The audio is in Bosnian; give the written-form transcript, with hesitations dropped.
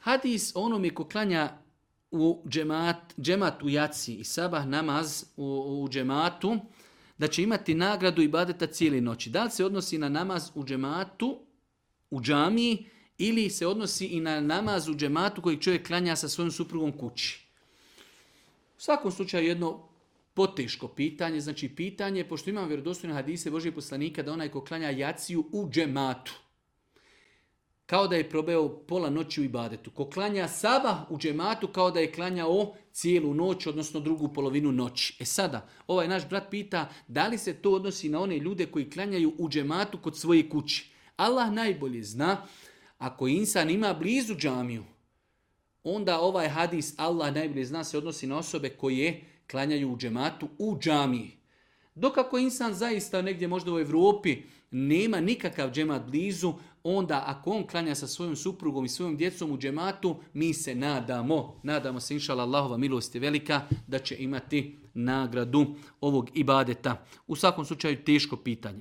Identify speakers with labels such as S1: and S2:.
S1: Hadis onome ko klanja u džemat u jaci i sabah namaz u džematu, da će imati nagradu ibadeta cijeli noći. Da li se odnosi na namaz u džematu, u džamiji, ili se odnosi i na namaz u džematu kojeg čovjek klanja sa svojom suprugom kući? U svakom slučaju jedno poteško pitanje, znači pitanje, pošto imamo vjerodostojne hadise Božijeg poslanika da onaj ko klanja jaciju u džematu, kao da je probeo pola noći u ibadetu. Ko klanja sabah u džematu, kao da je klanjao cijelu noć, odnosno drugu polovinu noći. Sada, ovaj naš brat pita da li se to odnosi na one ljude koji klanjaju u džematu kod svoje kući. Allah najbolje zna, ako insan ima blizu džamiju, onda ovaj hadis Allah najbolje zna se odnosi na osobe koje klanjaju u džematu u džamiji. Dok ako insan zaista negdje možda u Europi nema nikakav džemat blizu, onda ako on klanja sa svojom suprugom i svojom djecom u džematu, mi se nadamo se, inšala Allahova milost je velika, da će imati nagradu ovog ibadeta. U svakom slučaju teško pitanje.